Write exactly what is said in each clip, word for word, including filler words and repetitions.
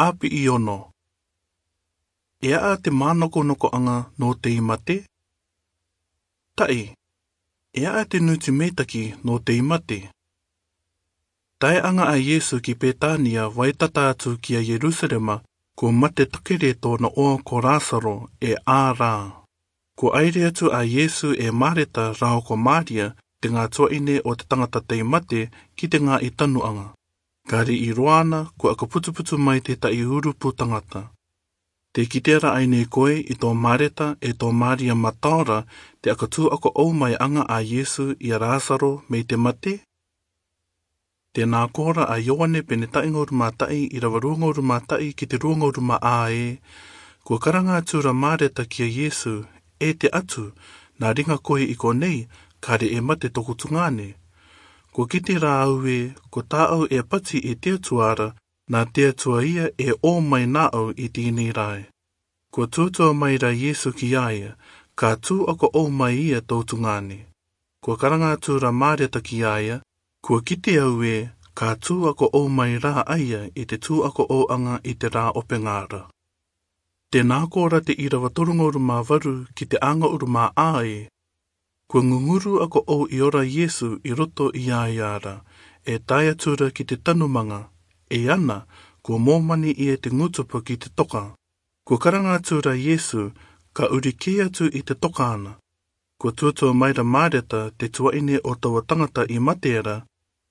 Api i ono. E a'a te mānokonoko'aŋa nō tei mate? Ta'i, e a'a te nūti meitaki nō tei mate? Tae aŋa a Iesu ki Petania, vaitata atu ki a Ierusalema, kua mate takere tō'ona 'oa ko Lasaro e 'ā rā. Kua 'aire atu a Iesu e Mareta rāua ko Maria, te ŋā tua'ine o te taŋata tei mate, ki te ŋā'i tanu'aŋa. Ka ri'i roa 'ana, kua 'aka putuputu mai te ta'i urupu taŋata. Tē kite ra ai nei koe i tō Mareta 'e tō Maria mataora te 'aka tū'ako'ou mai aŋa a Iesu i a Lasaro mei te mate? Tē nā kōrā a Ioane pene ta'i ŋauru mā ta'i, irava rua ŋauru mā ta'i ki te rua ŋauru mā 'ā ē: Kua karanga atu ra Mareta ki a Iesu, E te Atu, nā riŋa koe i konei, kare e mate toku tuŋāne. Kua kite ra au ē, ko tā'au e pati i te Atua ra, nā te Atua ia e ō mai nā'au i tēnei rae. Kua tuatua mai ra Iesu ki a ia, Ka tū'ako'ou mai ia tō tuŋāne. Kua karanga atu ra Mareta ki a ia, Kua kite au ē, ka tū'ako'ou mai rā a ia i te tū'ako'ou'aŋa i te rā 'opeŋa ra. Tē nā kōrā te irava toru ŋauru mā varu ki te 'ā ŋauru mā 'ā ē: Kua ŋuŋuru ako'ou i ora Iesu i roto i a ia ra, e tae atu ra ki te tanumaŋa, e ana, kua mōmani ia te ŋutupa ki te toka. Kua karanga atu ra Iesu, Ka uri kē atu i te toka 'ana. Kua tuatua mai ra Mareta, te tua'ine o taua taŋata i mate ra,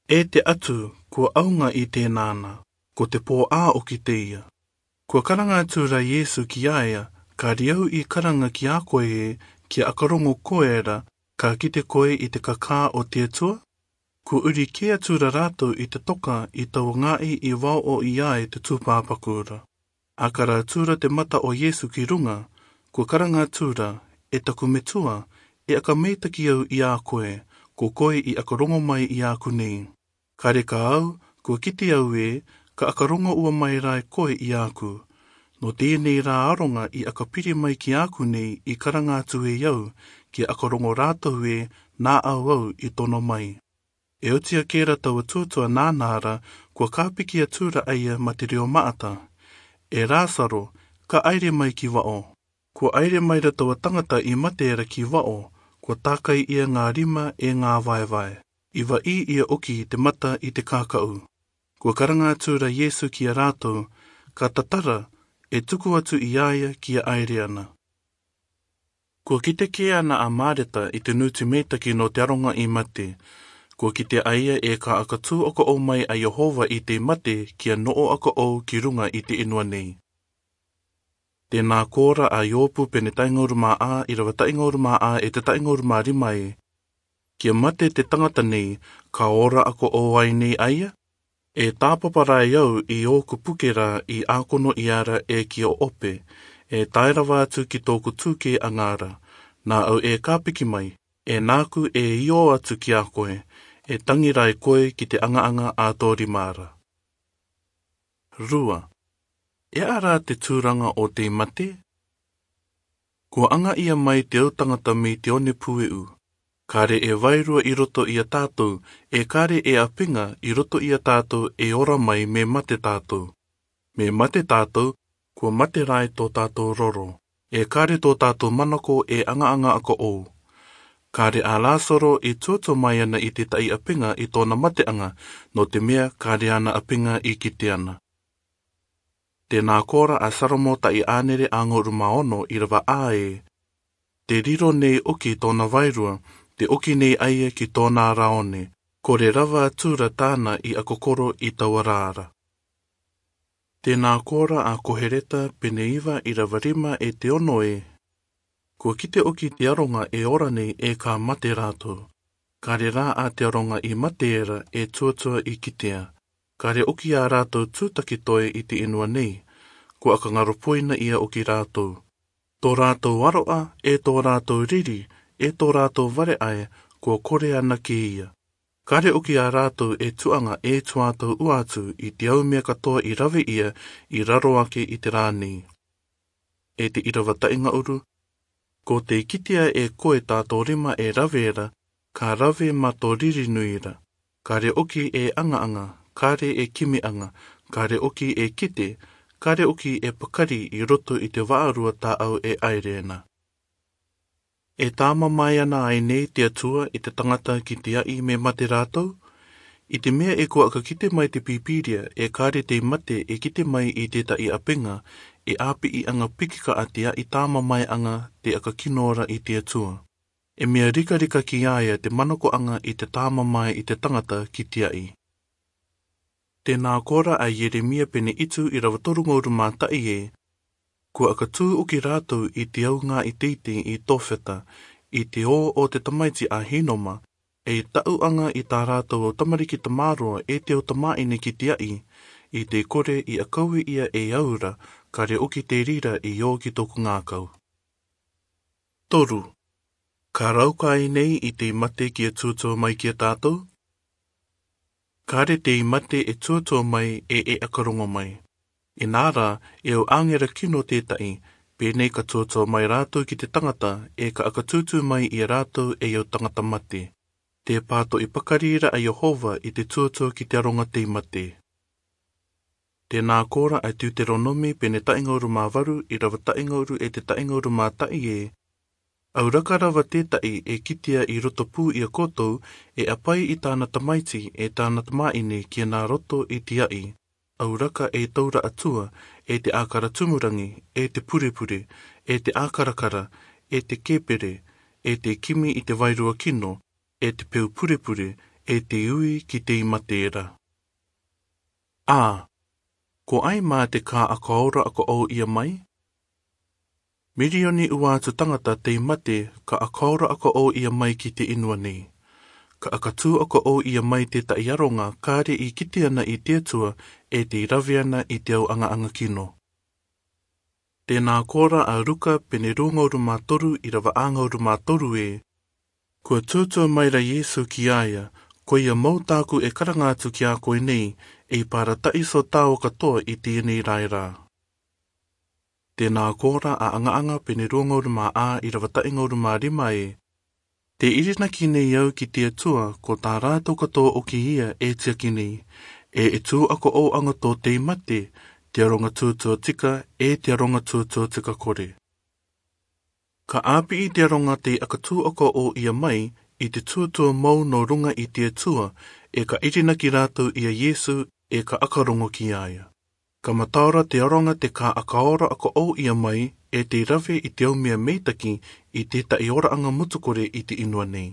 E te Atu, kua au ŋa i tēnā 'ana, ko te pō'ā 'oki teie. Kua karanga atu ra Iesu ki a ia, Ka riau i karanga ki a koe ē, kia 'aka roŋo koe ra, ka kite koe i te kakā o te Atua? Kua uri kē atu ra rātou i te toka i taua ŋā'i i vao'o i a ia te tū pāpaku ra. 'Aka rā atu ra te mata o Iesu ki ruŋa, kua karanga atu ra, E taku Metua, e 'aka meitaki au i a koe, ko koe i 'aka roŋo mai i a ku nei. Kare ka au, kua kite au ē, ka 'aka roŋo ua mai rā e koe i a ku. Nō tēnei rā aroŋa i 'aka piri mai ki a ku nei i karanga atu e au, kia 'aka roŋo rātou ē, nā'au au i tono mai. E oti akē ra taua tuatua nānā ra, kua kāpiki atu ra a ia mā te reo ma'ata, E Lasaro, ka 'aire mai ki va'o. Kua 'aire mai ra taua taŋata i mate ra ki va'o, kua tākai ia ŋā rima 'e ŋā vaevae, i va'ī ia 'oki te mata i te kāka'u. Kua karanga atu ra Iesu ki a rātou, Ka tatara, e tuku atu i a ia kia 'aire 'ana. Kua kite kē 'ana a Mareta i te nūti meitaki nō te aroŋa i mate. Kua kite a ia e ka 'aka tū'ako'ou mai a Iehova i te mate kia no'o ako'ou ki ruŋa i te 'īnua nei. Tē nā kōrā a Iopu pene ta'i ŋauru mā 'ā, irava ta'i ŋauru mā 'ā 'e te ta'i ŋauru mā rima ē: Kia mate te taŋata nei, ka ora ako'ou ai nei a ia? E tāpapa rā e au i ōku puke ra i 'ākono iāra e ki 'Ope, e tae rava atu ki tō'oku tūkē aŋa ra, nā'au e kāpiki mai, e nā'aku e io atu ki a koe, e tangi rā e koe ki te aŋa-aŋa a tō rima ra. Rua. E a'a rā te tūraŋa o tei mate? Kua aŋa ia mai te au taŋata mei te one pue'u. Kare e vairua i roto i a tātou, e kare e 'āpeŋa i roto i a tātou e ora mai mē mate tātou. Mē mate tātou, kua mate rā e tō tātou roro. E kare tō tātou manako e aŋa-aŋa ako'ou. Kare a Lasaro e tuatua mai ana i te ta'i 'āpeŋa i tō'ona mate'aŋa, nō te me'e kare ana 'āpeŋa i kite ana. Tē nā kōrā a Salomo ta'i 'ānere 'āŋauru mā ono, irava 'ā ē: Te riro nei 'oki tō'ona vairua, te 'oki nei a ia ki tō'ona ra one, kore rava atu ra tā'ana i 'aka koro i taua ra ra. Tē nā kōrā a Koheleta pene iva, irava rima 'e te ono ē: Kua kite 'oki te aroŋa e ora nei e ka mate rātou. Kare rā a te aroŋa i mate ra e tuatua i kitea. Kare 'oki a rātou tūtaki toe i te 'īnua nei. Kua 'aka ŋaro poi na ia 'oki rātou. Tō rātou aro'a, e tō rātou riri, e tō rātou vare'ae, kua kore anake ia. Kare 'oki a rātou e tu'aŋa e tuātou ua atu i te au me'e katoa i rave ia i raro ake i te rā nei. 'E te irava ta'i ŋa'uru: Ko tē kitea e koe tā tō rima e rave ra, ka rave mā tō riri nui ra. Kare 'oki e aŋa-aŋa, kare e kimi'aŋa, kare 'oki e kite, Kare oki e pakari i roto i te vārua tāʻau e ʻaere na. E tāmamae ana ai nei te Atua i te tangata ki te aʻi me mate rātou? I te mea e kua ʻakakite mai te Pīpīria e kare te mate e kite mai i tētaʻi ʻapenga, e ʻāpiʻi anga piki kaʻa te aʻi tāmamaeʻanga te ʻakakino ra i te Atua. E mea rikarika ki a ia te manakoʻanga i te tāmamae i te tangata ki te aʻi. Tēnā kōrā a Ieremia pene itu ʻīrava toru ngō rūmātaʻi ē, kua ʻakatū oki rātou i te au ngā ʻiteite i Tōwheta, i te ō o te tamaiti a Hinoma, e taʻuʻanga i tā rātou au tamariki tamāroa e te au tamāʻine ki te aʻi, i te kore i ʻakau ia e au ra, kare oki te rira i ō ki tōku ngākau. Toru, ka rauka ai nei i te mate kia tuatua mai ki a tātou? Kare te mate e tuatua mai e e ʻakarongo mai. Inā rā, e au āngera kino tētaʻi, pēnei ka tuatua mai rātou ki te tangata, e ka ʻakatūtū mai i a rātou e au tangata mate. Te pātoʻi pakari ra a Iehova i te tuatua ki te aronga te mate. Tēnā kōrā a Teuteronomi pene taʻi ngō rūmāvaru ʻīrava taʻi ngō rū e te taʻi ngō rūmātaʻi ē, au raka rava tētaʻi e kitea i roto pū i a koutou, e ʻapai i tāna tamaiti, e tāna tamāʻine ki a nā roto i te aʻi. Au raka e taura atua, e te ʻākara tumurangi, e te purepure, e te ʻākarakara, e te kēpere, e te kimi i te vairua kino, e te peu purepure, e te ui ki te mate ra. Ā, ko ai mā te kāʻakaora ʻakaʻou ia mai? Mirioni ua atu tangata te mate ka ʻakaora ʻakaʻou ia mai ki te inua nei. Ka ʻakatū ʻakaʻou ia mai tētaʻi aronga kare i kite ana i te Atua e te rave ana i te au aŋaʻaŋa kino. Tēnā kōrā a Ruka pene rua ngō rūmātoru ʻīrava ā ngō rūmātoru ē, kua tuatua mai ra Iesu ki a ia, ko ia mau tāku e karanga atu ki a koe nei, e parataʻiso tāua katoa i tēnei rae rā. Tēnā kōrā a Aŋaʻaŋa pene rua ngō rūmāā ʻīrava taʻi ngō rūmārima ē, tē ʻirinaki nei au ki te Atua, ko tā rātou katoa ʻoki ia e tiaki nei, e e tū ʻakaʻouaŋa tō te mate, te aronga tuatua tika, e te aronga tuatua tika kore. Ka ʻāpiʻi te aronga te ʻakatū ʻakaʻou ia mai, i te tuatua mau nō ruŋa i te Atua, e ka ʻirinaki rātou i a Iesu, e ka ʻakarongo ki a ia. Ka mataora te aronga te kāʻakaora ʻakaʻou ia mai, e te rave i te au mea meitaki, i tētaʻi oraʻaŋa mutu kore i te inua nei.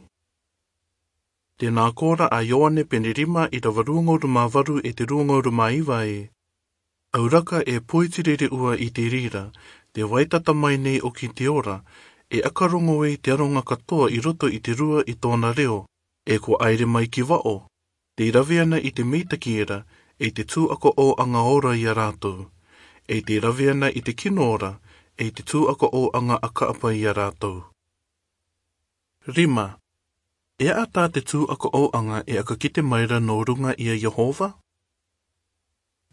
Tēnā kōrā a Ioane pene rima ʻīrava rua ngō rūmāvaru e te rua ngō rūmāiva ē, au raka e poiti rere ua i te rira, te vaitata mai nei ʻoki te ora, e ʻakarongo ei te aronga katoa i roto i te rua i tōna reo, e kua ʻaere mai ki vaʻo, te rave ana i te meitaki era, e te tū ʻakaʻouaŋa ora i a rātou, e te rave ana i te kino ora, e te tū ʻakaʻouaŋa ʻakaʻapa i a rātou. Rima, e aʻa tā te tū ʻakaʻouaŋa e ʻakakite mai ra nō ruŋa i a Iehova?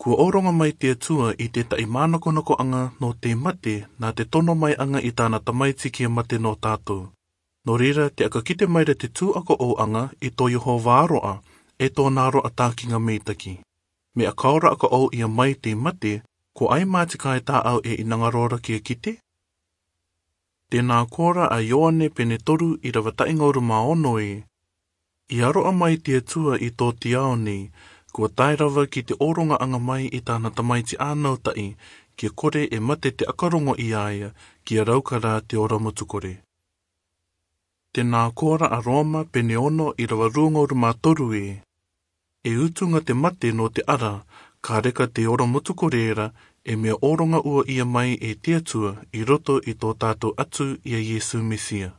Kua ʻōroŋa mai te Atua i tētaʻi mānakonakoaŋa nō te mate, nā te tono mai aŋa i tāna Tamaiti kia mate nō tātou. Nō reira, te ʻakakite mai ra te tū ʻakaʻouaŋa i tō Iehova aroʻa, e tōna aroʻa tākiŋa meitaki. Mea ʻakaora ʻakaʻou ia mai te mate, ko ai mā te kaitaʻau e ʻinaŋaro ra kia kite? Tēnā kōrā a Ioane pene toru ʻīrava taʻi ngō rūmāono ē, i aroʻa mai te Atua i tō te ao nei, kua tae rava ki te ʻōroŋaʻaŋa mai i tāna Tamaiti ānautaʻi, kia kore e mate te ʻakarongo i a ia, kia rauka rā te ora mutu kore. Tēnā kōrā a Roma pene ono ʻīrava rua ngō rūmātoru ē, e utuŋa te mate nō te ara, ka reka te ora mutu kore ra, e mea ʻōroŋa ua ia mai e te Atua i roto i tō tātou Atua i a Iesu Mesia.